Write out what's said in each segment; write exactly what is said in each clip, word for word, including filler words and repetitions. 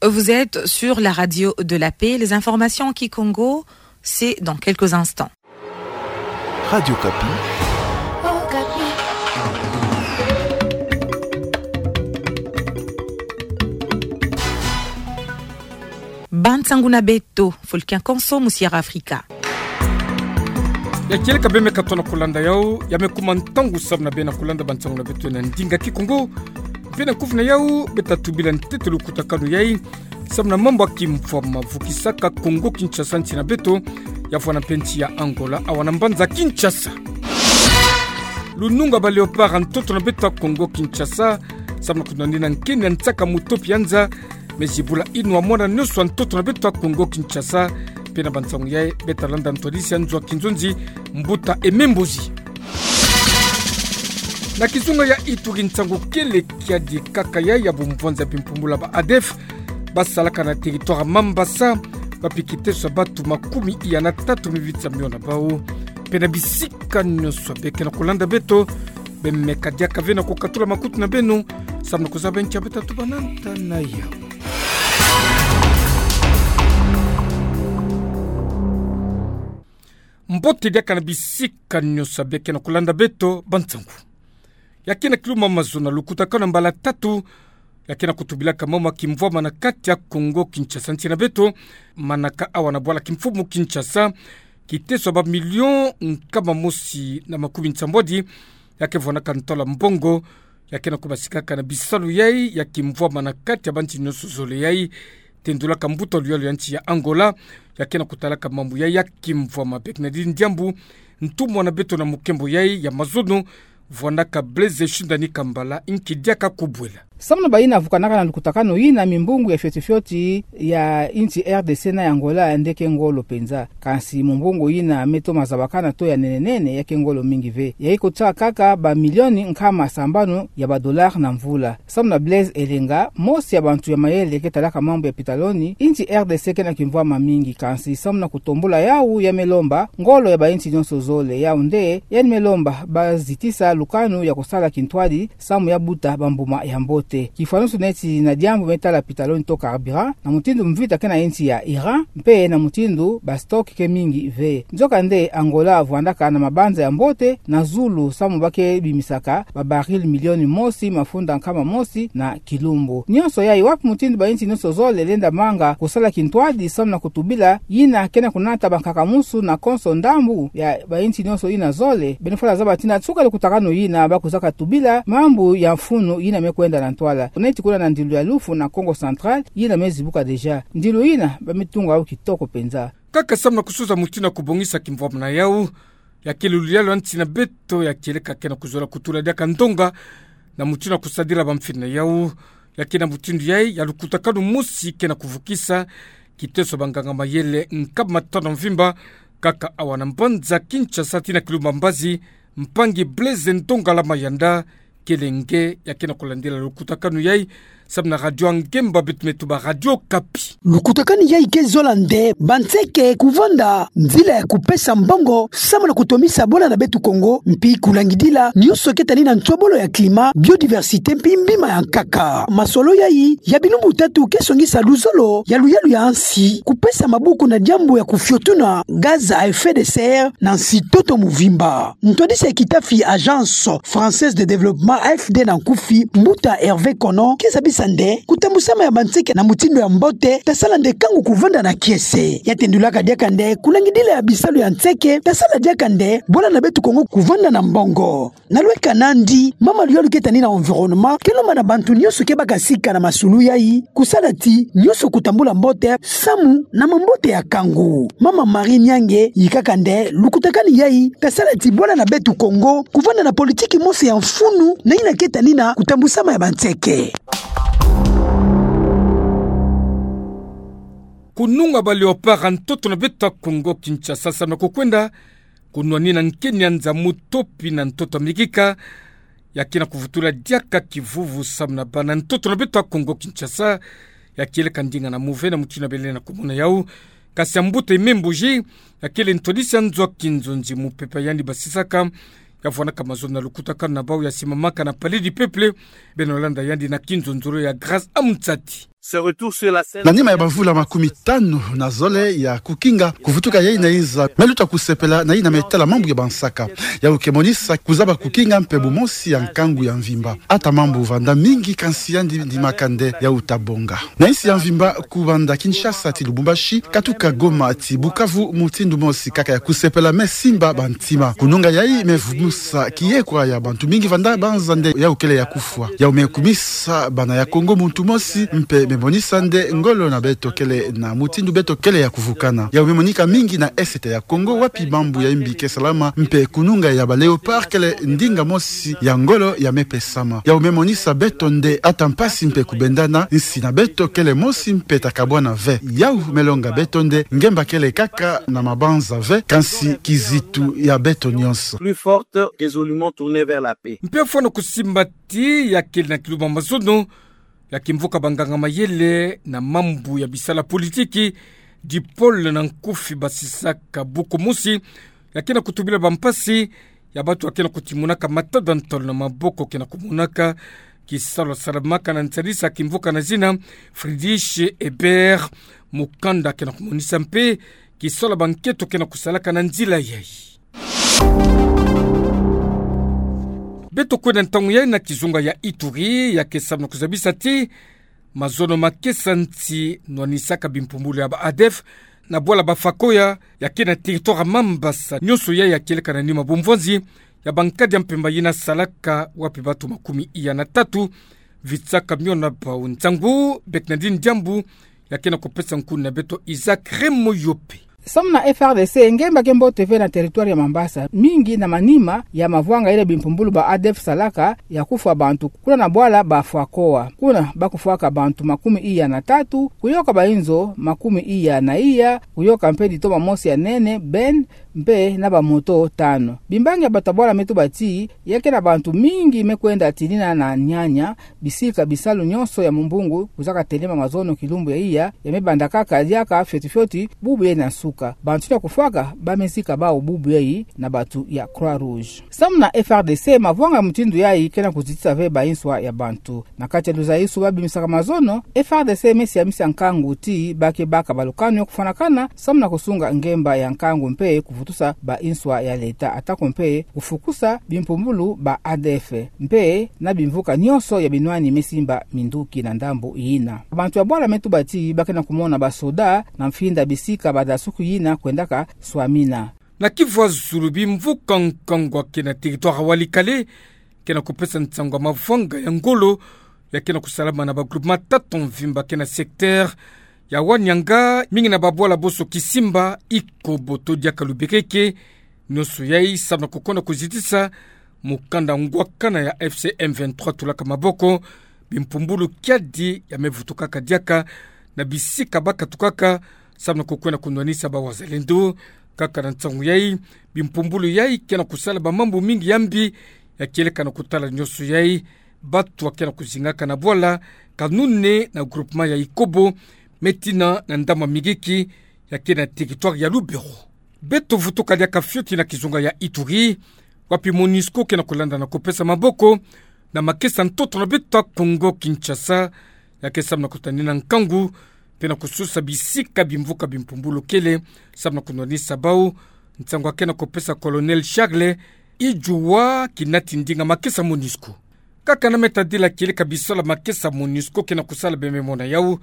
Vous êtes sur la radio de la paix. Les informations en kikongo, c'est dans quelques instants. Radio Okapi. Bansangu na beto, fulu kia konso mu Sierra Africa. Ya kieleka bê me katoa na kulanda yau, ya me kuma ntangu samu na bê na kulanda bansangu na beto na ndinga kikongo. Bê na kufi na yau, bê ta tubila ntete lukutakanu yai samu na mambu ya kimvwama vukisaka Kongo Kinshasa nsi na beto, ya vwana mpe nsi ya Angola, awa na mbanza Kinshasa. Lununga ba Léopard ntoto na beto ya Kongo Kinshasa, samu na kunwanina nkeni ya nsaka mutopi ya nza, me zibula inu ya mwana nyonso ya ntoto na beto ya Kongo Kinshasa. Mpe na bansangu yai, bê ta landa ntwadisi ya nzo ya kinzonzi, Mbuta Aimé Mbozi. Na kizunga ya Ituri, nsangu kele kiadi kaka yai ya bumvwanza bimpumbula ba ADF basalaka na territoire Mambasa, bapiki teso ya batu makumi iya na tatu me viti ya miona bau. Mpe na bisika nyonso bê ke na kulanda beto, bê meka diaka ve na kukatula makutu na beno, samu na kuzaba nki ya bê ta tuba na nta na yau. Mbote diaka na bisika nyonso bê ke na kulanda beto, bansangu. Ya ke na kilumbu mazono, lukutakanu ya mbala tatu, ya ke na kutubilaka mambu ya kimvwama na kati ya Kongo Kinshasa nsi na beto, manaka awa na bwala kimfumu Kinshasa, kiteso ya ba million nkama mosi na makumi nsambwadi, ya ke vwanaka ntwala mbongo, ya ke na kubasikaka na bisalu yai ya kimvwama na kati ya bansi nyonso zole yai, tendulaka mbuta luyalu ya nsi ya Angola, ya ke na kutalaka mambu yai ya kimvwama. Bê ke na dini diambu, ntumwa na beto na mukembo yai ya mazono, vwanaka Blaise Shindani Kambala, nki diaka kubwela. Samu na bayina vukanaka na lukutakanu yina, mimbungu ya fioti fioti ya nsi R D C na ya Angola nde ke ngolo mpenza. Kansi mumbungu yina me toma zabakana to ya nene nene, ya ke ngolo mingi ve. Ya iko tsa kaka ba milioni nkama sambanu ya ba dollars na mvula. Samu na Blaise Elenga, mosi ya bantu ya mayele ke talaka mambu ya pitaloni, nsi R D C ke na kimvwama mingi, kansi samu na kutombula yau ya me lomba ngolo ya bansi nyonso zole. Yau nde yandi me lomba bazitisa lukanu ya kusala kintwadi samu ya buta bambuma ya mbote. Kifwanusu neti na diambu me tala pitaloni to carburant, na mutindu mvita ke na nsi ya Iran, mpe na mutindu ba stock ke mingi ve. Nzokande Angola vwandaka na mabanza ya mbote na zulu, samu ba ke bimisaka ba baril milioni mosi mafunda nkama mosi na kilumbu. Nyonso yai, wapi mutindu bansi nyonso zole lenda manga kusala kintwadi samu na kutubila yina ke na kunata bankakamusu na konso ndambu ya bansi nyonso yina zole? Beno fwana zaba ti na suka lukutakanu yina ba kuzaka tubila mambu ya mfunu yina me kwenda na ntwala. Neti kuna na ndilu ya lufu na Kongo Central yina me zibuka déjà. Ndilu yina ba me tunga yau kitoko mpenza. Kaka samu na kusuza mutindu ya kubongisa kimvwama na yau, ya ke luyalu ya nsi na beto ya kieleka ke na kuzola kutula diaka ndonga na mutindu ya kusadila bamfini na yau. Ya ke na mutindu yai ya lukutakanu mosi ke na kuvukisa kiteso banganga mayele nkama tanu mvimba, kaka awa na mbanza Kinshasa ti na kilumbu mbazi, mpangi Blaise Ndongala Mayanda, kele nge ya ke na kulandila lukutakanu yai samu na radio ya ngemba beto me tuba Radio Okapi. Lukutakanu yai ke zola nde banseke kuvanda nzila ya kupesa mbongo samu na kutomisa bwala na beto Kongo, mpi kulangidila nyonso ke tani na nsobolo ya climat, biodiversité mpi mbima ya nkaka. Masolo yai ya bilumbu tatu ke songisa luzolo ya luyalu ya nsi kupesa maboko na diambu ya kufiotuna gaz à effet de serre na nsi ntoto mvimba. Ntwadisi ya kitafi Agence Française de Développement, A F D na nkufi, mbuta Hervé Kono, ke zabisa nde kutambusama ya banseke na mutindu ya mbote ta sala nde kangu kuvanda na kiese. Ya tendulaka diaka nde kulangidila ya bisalu ya nseke ta sala diaka nde bwala na beto Kongo kuvanda na mbongo. Na lweka nandi, mama luyalu ke tani na environnement ke lomba na bantu nyonso ke baka sika na masulu yai kusala ti nyonso kutambula mbote samu na mambote ya kangu. Mama Marie Nyange yikaka nde lukutakanu yai ta sala ti bwala na beto Kongo kuvanda na politiki mosi ya mfunu na yina ke tani na kutambusama ya banseke. Kununga ba Léopard ntoto na beto Kongo Kinshasa samu na kukwenda kunwanina nkeni ya nza mutopi na ntoto mikika, ya ke na kuvutula diaka kivuvu samu na bana ntoto na beto Kongo Kinshasa. Ya kieleka ndinga na muve na mutindu bele na kumona yau. Kasi ya mbuta Aimé Mbozi, ya kele ntwadisi ya nzo ya kinzonzi, mupepe yandi basisaka, ya vwanaka mazono na lukutakanu na bau ya simamaka na Palais du Peuple. Beno landa yandi na kinzonzolo ya Grâce Amitsati. Na nima ya bamvula makumi tanu na zole ya kukinga, kuvutuka yayi na inza, me luta kusepela na yina me tala mambu ya bansaka. Yawu ke monisa kuzaba kukinga mpe bumosi ya nkangu ya mvimba. Ata mambu vanda mingi, kansi yandi ndimaka nde yawu ta bonga. Na insi ya mvimba, kubanda Kinshasa ti Lubumbashi, katuka Goma ti Bukavu, mutindu mosi kaka ya kusepela me simba bantima. Kununga yayi me vumusa kiyekwa ya bantu mingi vanda banza nde yawu kele ya kufwa. Yawu me kumisa bana ya Kongo muntu mosi, mpe me monisa nde ngolo na beto kele na mutindu beto kele ya kuvukana. Yawu me monika mingi na Est ya Kongo, wapi mambu ya imbi ke salama, mpe kununga ya ba Léopard kele ndinga mosi ya ngolo ya me pesama. Yawu me monisa beto nde ata mpasi mpe kubendana, insi na beto kele mosi mpe ta kabwana ve. Yawu me longa beto nde ngemba kele kaka na mabanza ve, kansi kizitu ya beto nyonso. Plus forte, résolument tournée vers la paix. Mpe fwana kusimba ti ya kele na kiluba mazono ya kimvuka banganga mayele na mambu ya bisala politiki, DIPOL, na nkufi basisaka buku mosi ya ke na kutubila bampasi ya bantu ya ke na kutimunaka matada ntalo na maboko ke na kumonaka kisalu salamaka na nsalisa kimvuka na zina Friedrich Ebert. Mukanda ke na kumonisa mpe kisalu banketo ke na kusalaka na nzila yayi. Beto kwenda ntangu yayi na kizunga ya Ituri, ya ke samu na kuzabisa ti mazono makesa nsi nwanisaka bimpumbulu ya ba ADF na bwala ba Fakoya, ya ke na territoire Mambasa, nyonso yayi ya kieleka na nima bumvwanzi ya bankadi ya mpemba yina salaka, wapi bantu makumi iya na tatu vitsaka miona bau. Nsangu Bernardine Diambu ya ke na kupesa nkuna na beto Isaac Remoyope. Samu na F R D C, ngemba ke mbote ve na territoire ya Mambasa, mingi na manima ya mavwanga yele bimpumbulu ba ADF salaka ya kufwa bantu, kuna na bwala ba Fakoya. Kuna ba kufwaka bantu makumi iya na tatu, kuyoka bainzo makumi iya na iya, kuyoka mpe ditoma mosi ya nene, ben, mpe na bamoto tanu. Bimbangi ya batabwala me tuba ti ya ke na bantu mingi me kwenda tinina na nyanya, bisika bisalu nyonso ya mumbungu kuzaka telema mazono kilumbu ya iya, ya me banda kaka diaka fioti fioti bubu yayi na nsuka. Bantu yina kufwaka ba me zika bau bubu yayi na bantu ya Croix Rouge. Samu na F R D C, mavwanga mutindu yayi ke na kuzitisa ve bainswa ya bantu. Na kati ya luzaisu ba bimisaka mazono, F R D C me siamisa nkangu ti ba ke baka balukanu ya kufwanakana samu na kusunga ngemba ya nkangu mpe kuvutusa bainswa ya leta, atako mpe kufukusa bimpumbulu ba ADF mpe na bimvuka nyonso ya binwani me simba minduki na ndambu yina. Bantu ya bwala me tuba ti ba ke na kumona basoda na mfinda bisika badasuku yina kwendaka swamina. Na kivwazulu, bimvuka nkangu ya ke na territoire Walikale ke na kupesa nsangu ya mavwanga ya ngolo ya ke na kusalama na ba groupement tatu mvimba ke na secteur ya Wanianga, mingi na babwala bonso Kisimba, Ikobo to diaka Lubekeke. Nyonso yayi samu na kukwenda kuzitisa mukanda ngwakana ya F C M vingt-trois tulaka maboko, bimpumbulu kiadi ya me vutukaka diaka na bisika ba katukaka samu na kukwenda kunwanisa ba wazalendo. Kaka na nsangu yayi, bimpumbulu yayi ke na kusala bamambu mingi ya mbi ya kieleka na kutala nyonso yayi. Bantu ya ke na kuzingaka na bwala Kanune na groupement ya Ikobo me tina na Ndama Migiki ya ke na territoire ya Lubero. Beto vutuka diaka fioti na kizunga ya Ituri, wapi MONUSCO ke na kulanda na kupesa maboko na makesa ntoto na beto ya Congo Kinshasa, ya ke samu na kutanina nkangu mpe na kusosa bisika bimvuka bimpumbulu kele samu na kunwanisa bau. Nsangu ya ke na kupesa Colonel Charles Idjouwa, kinati ndinga makesa MONUSCO. Kaka na me tadila kieleka bisalu ya makesa MONUSCO ke na kusala, bie me mona yawu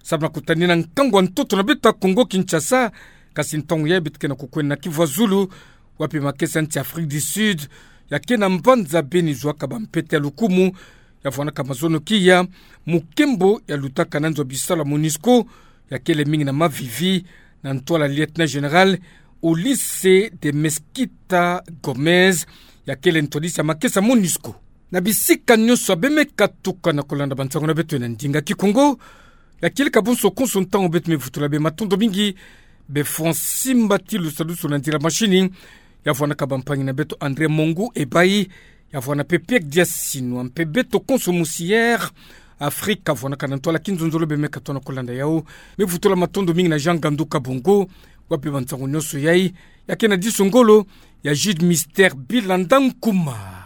samu na kutanina nkangu ya ntoto na beto ya Congo Kinshasa. Kasi ntangu yayi beto ke na kukwenda na kivwazulu, wapi makesa nsi Afrique du Sud ya ke na mbanza Beni zwaka bampete ya lukumu ya vwanaka mazono kiya, mu nkembo ya lutaka na nzo ya bisalu ya MONUSCO, ya kele mingi na mavivi na ntwala lieutenant général Ulisses de Mesquita Gomez, ya kele ntwadisi ya makesa MONUSCO. Na bisika nyonso ya bie me katuka na kulanda bansangu na beto na ndinga Kikongo, ya kieleka bonso konso ntangu beto me vutula bie matondo mingi. Bie fwa nsimba ti lusadusu na nzila machine ya vwanaka bampangi na beto André Mongu Ebayi, ya vwana mpe Pierre Diasinwa, mpe beto konso musi Air Afrique ya vwanaka na ntwala kinzonzolo bie me katuka na kulanda yawu. Me vutula matondo mingi na Jean Gandu Kabongo, wapi bansangu nyonso yayi ya ke na diso ngolo ya Jude Mister Bilanda Nkuma.